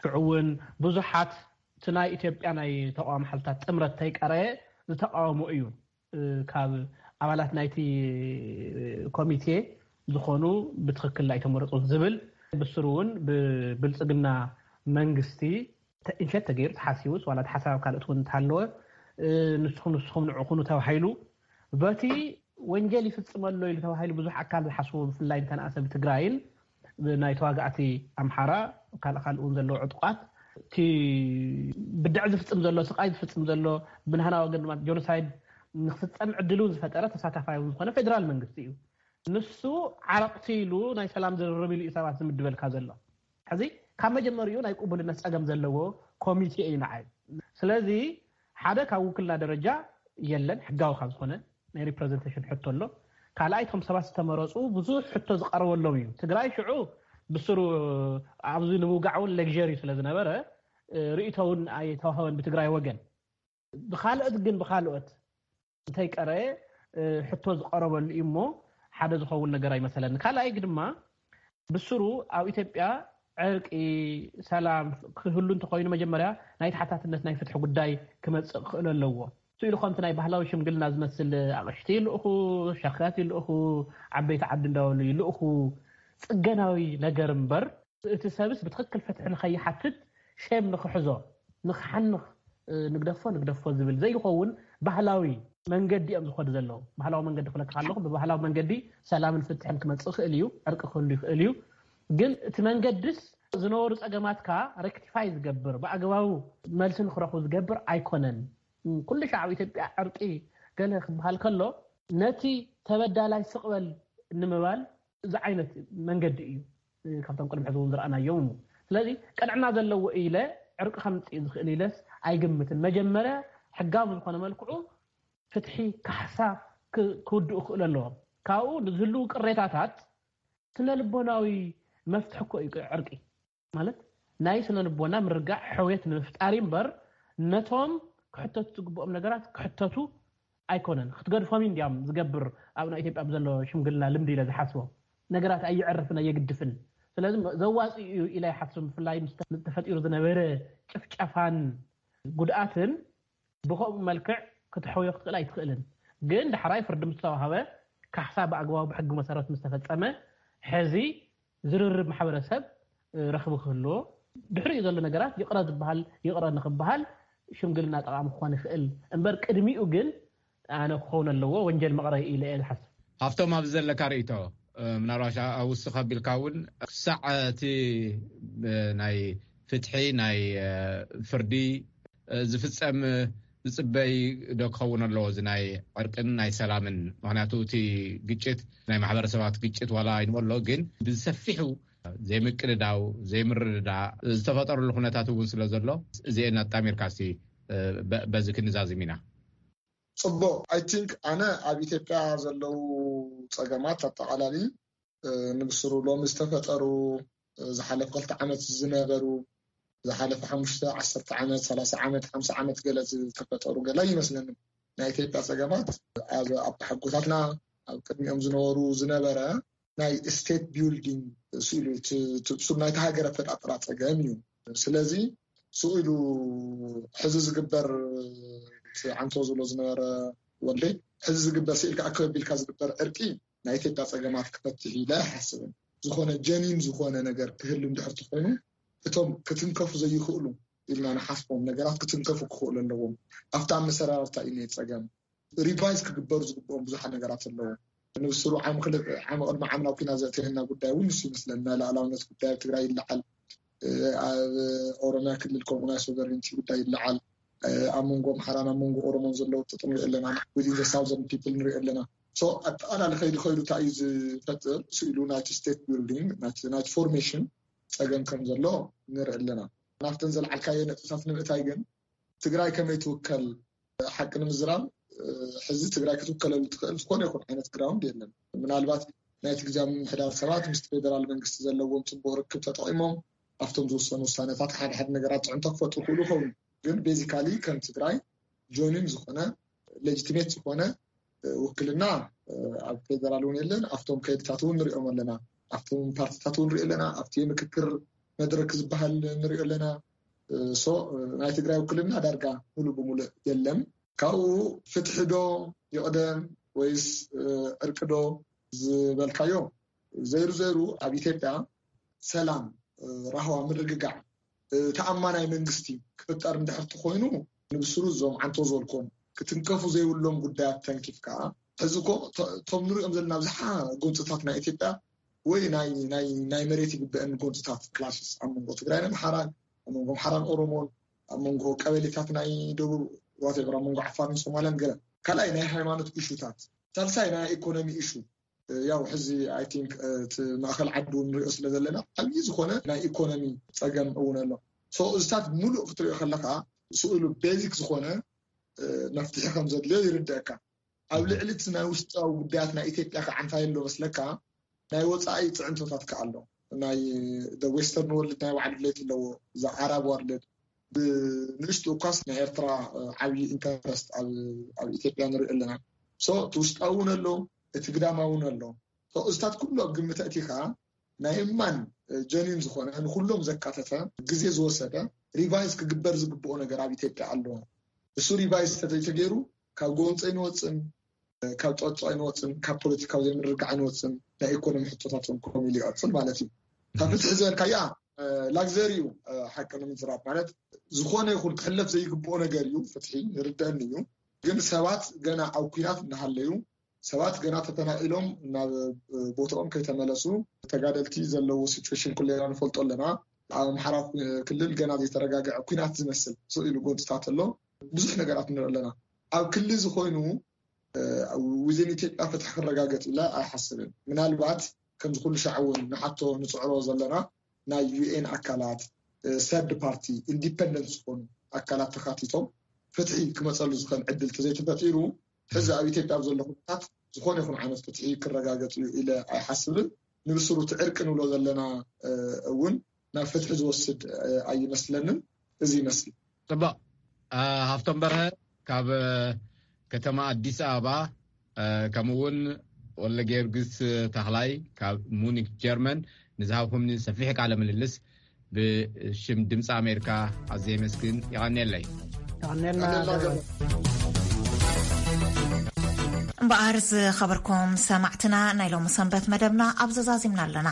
ሽዑ እውን ብዙሓት እቲ ናይ ኢትዮጵያ ናይ ተቃዋሚ ሓይልታት ጥምረት ተይቀረየ ዝተቃወሙ እዩ። ካብ ኣባላት ናይቲ ኮሚቴ ዝኾኑ ብትኽክል ኣይተመረፁን ዝብል ብስሩ እውን ብብልፅግና መንግስቲ ኢንሸት ተገይሩ ተሓሲቡስ ዋላ ሓሳብ ካልኦት እውን እንተሃለወ ንስኹም ንስኹም ንዑ ኩኑ ተባሂሉ በቲ ወንጀል ይፍፅም ኣሎ ኢሉ ተባሂሉ ብዙሕ ኣካል ዝሓስቦ ብፍላይ እንተነኣሰ ብትግራይን ናይ ተዋጋእቲ ኣምሓራ ካልእ ካልእ እውን ዘለዎ ዕጡቃት እቲ ብድዕ ዝፍፅም ዘሎ ስቃይ ዝፍፅም ዘሎ ብናህና ወገን ድማ ጆኖሳይድ ንክፍፀም ዕድል እውን ዝፈጠረ ተሳታፋይ እውን ዝኾነ ፌደራል መንግስቲ እዩ። ንሱ ዓረቕቲ ኢሉ ናይ ሰላም ዝርርብ ኢሉ እዩ ሰባት ዝምድበልካ ዘሎ። ሕዚ ካብ መጀመሪኡ ናይ ቅቡልነት ፀገም ዘለዎ ኮሚቴ እዩ ንዓይ። ስለዚ ሓደ ካብ ውክልና ደረጃ የለን ሕጋዊ ካብ ዝኾነ ናይ ሪፕረዘንቴሽን ሕቶ ኣሎ። ካልኣይ እቶም ሰባት ዝተመረፁ ብዙሕ ሕቶ ዝቀረበሎም እዩ። ትግራይ ሽዑ ብስሩ ኣብዚ ንምውጋዕ እውን ሌግሪ ስለዝነበረ ርእቶ እውን ኣይተዋህበን ብትግራይ ወገን። ብካልኦት ግን ብካልኦት እንተይቀረየ ሕቶ ዝቀረበሉ እዩ እሞ ሓደ ዝኸውን ነገር ኣይመሰለኒ። ካልኣይ ድማ ብስሩ ኣብ ኢትዮጵያ ዕርቂ ሰላም ክህሉ እንተኮይኑ መጀመርያ ናይ ተሓታትነት ናይ ፍትሒ ጉዳይ ክመፅእ ክኽእሎ ኣለዎ። ስኢሉ ከምቲ ናይ ባህላዊ ሽምግልና ዝመስል ኣቕሽቲ ይልእኹ፣ ሸኽያት ይልእኹ፣ ዓበይቲ ዓዲ እንዳበሉ ይልእኹ፣ ፅገናዊ ነገር እምበር እቲ ሰብስ ብትኽክል ፍትሒ ንኸይሓትት ሼም ንኽሕዞ ንኽሓንኽ ንግደፎ ንግደፎ ዝብል ዘይኸውን ባህላዊ መንገዲ እዮም ዝኸዱ ዘለዉ። ባህላዊ መንገዲ ክለካ ኣለኹ ብባህላዊ መንገዲ ሰላምን ፍትሕን ክመፅእ ይኽእል እዩ፣ ዕርቂ ክህሉ ይኽእል እዩ። ግን እቲ መንገድስ ዝነበሩ ፀገማትካ ሬክቲፋይ ዝገብር ብኣግባቡ መልሲ ንክረኽቡ ዝገብር ኣይኮነን። ኩሉ ሻዕ ኣብ ኢትዮጵያ ዕርቂ ገለ ክበሃል ከሎ ነቲ ተበዳላይ ስቕበል ንምባል እዚ ዓይነት መንገዲ እዩ ካብቶም ቅድሚ ሕዚ እውን ዝረኣናዮም እሞ ስለዚ ቅንዕና ዘለዎ ኢለ ዕርቂ ከምፅእ ዝኽእል ኢለስ ኣይግምትን። መጀመርያ ሕጋዊ ዝኾነ መልክዑ ፍትሒ ካሕሳ ክውድኡ ክኽእሉ ኣለዎም። ካብኡ ንዝህልው ቅሬታታት ስነ ልቦናዊ መፍትሒ እኮ እዩ ዕርቂ ማለት ናይ ስነ ልቦና ምርጋዕ ሕውየት ንምፍጣር እምበር ነቶም ክሕተቱ ዝግብኦም ነገራት ክሕተቱ ኣይኮነን። ክትገድፎም እንዲያም ዝገብር ኣብ ናይ ኢትዮጵያ ብዘሎ ሽምግልና ልምዲ ኢለ ዝሓስቦ ነገራት ኣየዕርፍን ኣየግድፍን። ስለዚ ዘዋፂ እዩ ኢለ ይሓስብ። ብፍላይ ተፈጢሩ ዝነበረ ጭፍጨፋን ጉድኣትን ብኸምኡ መልክዕ ክትሕውዮ ክትኽእል ኣይትኽእልን። ግን ዳሕራይ ፍርዲ ምስ ተዋሃበ ካሕሳ ብኣግባቡ ብሕጊ መሰረት ምስ ተፈፀመ ሕዚ ዝርርብ ማሕበረሰብ ረኽቢ ክህልዎ ድሕሪኡ ዘሎ ነገራት ይቕረ ዝበሃል ይቕረ ንኽበሃል ሽምግልና ጠቓሚ ክኾን ይኽእል እምበር ቅድሚኡ ግን ኣነ ክኸውን ኣለዎ ወንጀል መቕረይ ኢለ እየ ዝሓስብ። ሃፍቶም፣ ኣብዚ ዘለካ ርእይቶ፣ እ፣ ምናልባት ኣ-፣ ኣውስኽ ኣቢልካ እውን ክሳዕ እቲ፣ እ፣ ናይ ፍትሒ፣ ናይ፣ እ፣ ፍርዲ፣ እ፣ ዝፍጸም፣ እ፣ ዝጽበይ ዶ ክኸውን ኣለዎ እዚ ናይ ዕርቅን ናይ ሰላምን? ምኽንያቱ እቲ ግጭት ናይ ማሕበረሰባት ግጭት ዋላ ኣይንበሎ፣ ግን ብሰፊሑ ዘይምቅድዳው፣ ዘይምርድዳእ ዝተፈጠረሉ ኩነታት እውን ስለ ዘሎ፣ እዚኤን ኣጣሚርካ እስቲ፣ እ፣ በ-፣ በዚ ክንዛዝም ኢና። ጽቡቕ። I think ኣነ ኣብ ኢትዮጵያ ዘለዉ ጸገማት ኣጠቓላሊ፣ እ፣ ንብስሩ ሎሚ ዝተፈጠሩ፣ እ፣ ዝሓለፈ ክልተ ዓመት ዝነበሩ፣ ዝሓለፈ ሓሙሽተ፣ ዓሰርተ ዓመት፣ ሰላሳ ዓመት፣ ሓምሳ ዓመት ገለ ዝተፈጠሩ ገለ ይመስለኒ። ናይ ኢትዮጵያ ጸገማት ኣብ ኣቦሓጎታትና ኣብ ቅድሚኦም ዝነበሩ ዝነበረ ናይ ስቴት ቢልዲንግ ስኢሉ እቲ፣ እቲ ብሱር ናይቲ ሃገር ኣፈጣጥራ ጸገም እዩ። ስለዚ ስኢሉ ሕዚ ዝግበር እቲ ዓንቶ ዝብሎ ዝነበረ ወልደይ፣ ሕዚ ዝግበር ስኢልካ ኣከብ ኣቢልካ ዝግበር ዕርቂ ናይ ኢትዮጵያ ጸገማት ክፈትሕ ኢለ ኣይሓስብን። ዝኾነ ጀኒን ዝኾነ ነገር ክህሉ እንድሕር ተኾይኑ እቶም ክትንከፉ ዘይኽእሉ ኢልና ንሓስቦም ነገራት ክትንከፉ ክኽእሉ ኣለዎም። ኣብታ ኣመሰራርታ እዩ ናይ ጸገም። ሪቫይዝ ክግበሩ ዝግብኦም ብዙሓት ነገራት ኣለዉ። ንብስሩ ዓሚ ክልተ፣ ዓሚ ቅድሚ ዓሚ ናብ ኲናት ዘእተየና ጉዳይ እውን ንሱ ይመስለኒ። ናይ ሉዓላውነት ጉዳይ ኣብ ትግራይ ይለዓል፣ እ፣ ኣብ ኦሮምያ ክልል ከምኡ ናይ ሶቨሬንቲ ጉዳይ ይለዓል፣ እ፣ ኣብ መንጎ ኣምሓራን ኣብ መንጎ ኦሮሞን ዘለዉ ጥጥም ንርኢ ኣለና። ዊዝን ዘ ሳውዘርን ፒፕል ንርኢ ኣለና። ሶ ኣጠቓላሊ ከይዱ ከይዱ እንታይ እዩ ዝፈጥር ስኢሉ ናይቲ ስቴት ቢልዲንግ ናይቲ፣ ናይቲ ፎርሜሽን ጸገም ከም ዘሎ ንርኢ ኣለና። ናብተን ዘልዓልካዮ ነጥብታት ንምእታይ ግን ትግራይ ከመይ ትውከል ሓቂ ንምዝራብ፣ እ፣ ሕዚ ትግራይ ክትውከለሉ ትኽእል ዝኾነ ይኹን ዓይነት ግራውንድ የለን። ምናልባት ናይቲ ግዜ ምምሕዳር ሰባት ምስ ፌደራል መንግስቲ ዘለዎም ጽቡቕ ርክብ ተጠቒሞም ኣብቶም ዝወሰኑ ውሳነታት ሓደ ሓደ ነገራት ጽዕንቶ ክፈጥሩ ክእሉ ይኸውን። ግን ቤዚካሊ ከም ትግራይ ጆኒን ዝኾነ ሌጂቲሜት ዝኾነ፣ እ፣ ውክልና፣ እ፣ ኣብ ፌደራል እውን የለን። ኣብቶም ከይድታት እውን ንሪኦም ኣለና፣ ኣብቶም ፓርቲታት እውን ንሪኦ ኣለና፣ ኣብቲ ምክክር መድረክ ዝበሃል ንሪኦ ኣለና። ሶ ናይ ትግራይ ውክልና ዳርጋ ሙሉእ ብሙሉእ የለን። ካብኡ ፍትሒ ዶ ይቕደም ወይስ፣ እ፣ ዕርቂ ዶ ዝበልካዮ፣ ዘይሩ ዘይሩ ኣብ ኢትዮጵያ ሰላም፣ እ፣ ራህዋ፣ ምርግጋዕ፣ እ፣ ተኣማናይ መንግስቲ ክፍጠር እንድሕር ተኾይኑ ንብስሩ እዞም ዓንቶ ዝበልኮም ክትንከፉ ዘይብሎም ጉዳያት ተንኪፍ ከዓ ሕዚ እኮ ቶ-፣ እቶም ንሪኦም ዘለና ብዝሓ ጎንፅታት ናይ ኢትዮጵያ ወይ ናይ፣ ናይ፣ ናይ መሬት ይግበአን ጎንፅታት ክላሽስ ኣብ መንጎ ትግራይን ኣምሓራን፣ ኣብ መንጎ ኣምሓራን ኦሮሞን፣ ኣብ መንጎ ቀበሌታት ናይ ደቡብ ዋቴቨር፣ ኣብ መንጎ ዓፋርን ሶማልያን ገለ። ካልኣይ ናይ ሃይማኖት ኢሹታት፣ ሳልሳይ ናይ ኢኮኖሚ ኢሹ። ያው ሕዚ ኣይ ቲንክ እቲ ማእኸል ዓዲ እውን ንሪኦ ስለ ዘለና ዓብዪ ዝኾነ ናይ ኢኮኖሚ ፀገም እውን ኣሎ። ሶ እዚታት ሙሉእ ክትሪኦ ከለካ ስእሉ ቤዚክ ዝኾነ፣ እ፣ መፍትሒ ከም ዘድልዮ ይርደአካ። ኣብ ልዕሊ እቲ ናይ ውሽጣዊ ጉዳያት ናይ ኢትዮጵያ ከዓ እንታይ ኣሎ መስለካ? ናይ ወፃኢ ፅዕንቶታት ከዓ ኣሎ። ናይ ደ ዌስተርን ወርልድ ናይ ባዕሉ ድሌት ኣለዎ፣ እዛ ዓራብ ወርልድ። ብንእሽቱ እኳስ ናይ ኤርትራ፣ እ፣ ዓብዪ ኢንተረስት ኣብ፣ ኣብ ኢትዮጵያ ንሪኦ ኣለና። ሶ እቲ ውሽጣዊ እውን ኣሎ፣ እቲ ግዳማዊ እውን ኣሎ። ሶ እዚታት ኩሉ ኣብ ግምት ኣእቲኻ ናይ እማን፣ እ፣ ጀኒን ዝኾነ ንኩሎም ዘካተተ ግዜ ዝወሰደ ሪቫይዝ ክግበር ዝግብኦ ነገር ኣብ ኢትዮጵያ ኣሎ። እሱ ሪቫይዝ ተዘይተገይሩ ካብ ጎንፂ ኣይንወፅን፣ እ፣ ካብ ጨብጦ ኣይንወፅን፣ ካብ ፖለቲካዊ ዘይምርግጋዕ ኣይንወፅን። ናይ ኢኮኖሚ ሕቶታት እውን ከምኡ ኢሉ ይቐፅል ማለት እዩ። ካብ ፍትሒ ዝበልካያ፣ እ፣ ላግዘሪ እዩ፣ እ፣ ሓቂ ንምዝራብ ማለት ዝኾነ ይኹን ክሕለፍ ዘይግብኦ ነገር እዩ። ፍትሒ ይርደአኒ እዩ። ግን ሰባት ገና ኣብ ኲናት እናሃለዩ ሰባት ገና ተፈናቒሎም ናብ፣ እ፣ ቦታኦም ከይተመለሱ ተጋደልቲ ዘለዎ ሲቹዌሽን ኩሌና ንፈልጦ ኣለና። ኣብ ኣምሓራ ኩ-፣ ክልል ገና ዘይተረጋግዐ ኲናት ዝመስል ስቕ ኢሉ ጎንፅታት ኣሎ። ብዙሕ ነገራት ንርኢ ኣለና። ኣብ ክሊ ዝኾይኑ፣ እ፣ ዊዝን ኢትዮጵያ ፍትሒ ክረጋገጥ ኢለ ኣይሓስብን። ምናልባት ከምዚ ኩሉ ሻዕ እውን ንሓቶ ንፅዕሮ ዘለና ናይ ዩ ኤን ኣካላት፣ እ፣ ሰርድ ፓርቲ፣ ኢንዲፐንደንት ዝኾኑ ኣካላት ተኻቲቶም ፍትሒ ክመፀሉ ዝኽእል ዕድል ተዘይተፈጢሩ ሕዚ ኣብ ኢትዮጵያ ኣብ ዘሎ ኩነታት ዝኾነ ይኹን ዓይነት ፍትሒ ክረጋገጥ እዩ ኢለ ኣይሓስብን። ንብስሩ እቲ ዕርቂ ንብሎ ዘለና፣ እ፣ እውን ናብ ፍትሒ ዝወስድ፣ እ፣ ኣይመስለንን። እዚ ይመስል። ጽቡቕ። እ፣ ሃፍቶም በርሀ ካብ፣ እ፣ ከተማ ኣዲስ ኣበባ፣ እ፣ ከምኡ እውን ወልደ ጊዮርጊስ ተኽላይ ካብ ሙኒክ ጀርመን ንዝሃብኩምኒ ሰፊሕ ቃለ ምልልስ ብሽም ድምፂ ኣሜሪካ ኣዝየ የመስግን። የቐንየለይ። የቐንየልና። እምበኣር ዝኸበርኩም ሰማዕትና፣ ናይ ሎሚ ሰንበት መደብና ኣብ ዘዛዚምና ኣለና።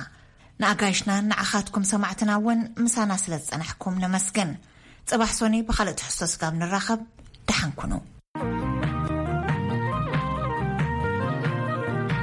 ንኣጋይሽናን ንዓኻትኩም ሰማዕትና እውን ምሳና ስለ ዝጸናሕኩም ነመስግን። ጽባሕ ሶኒ ብኻልእ ትሕዝቶ ስጋብ ንራኸብ፣ ደሓን ኩኑ።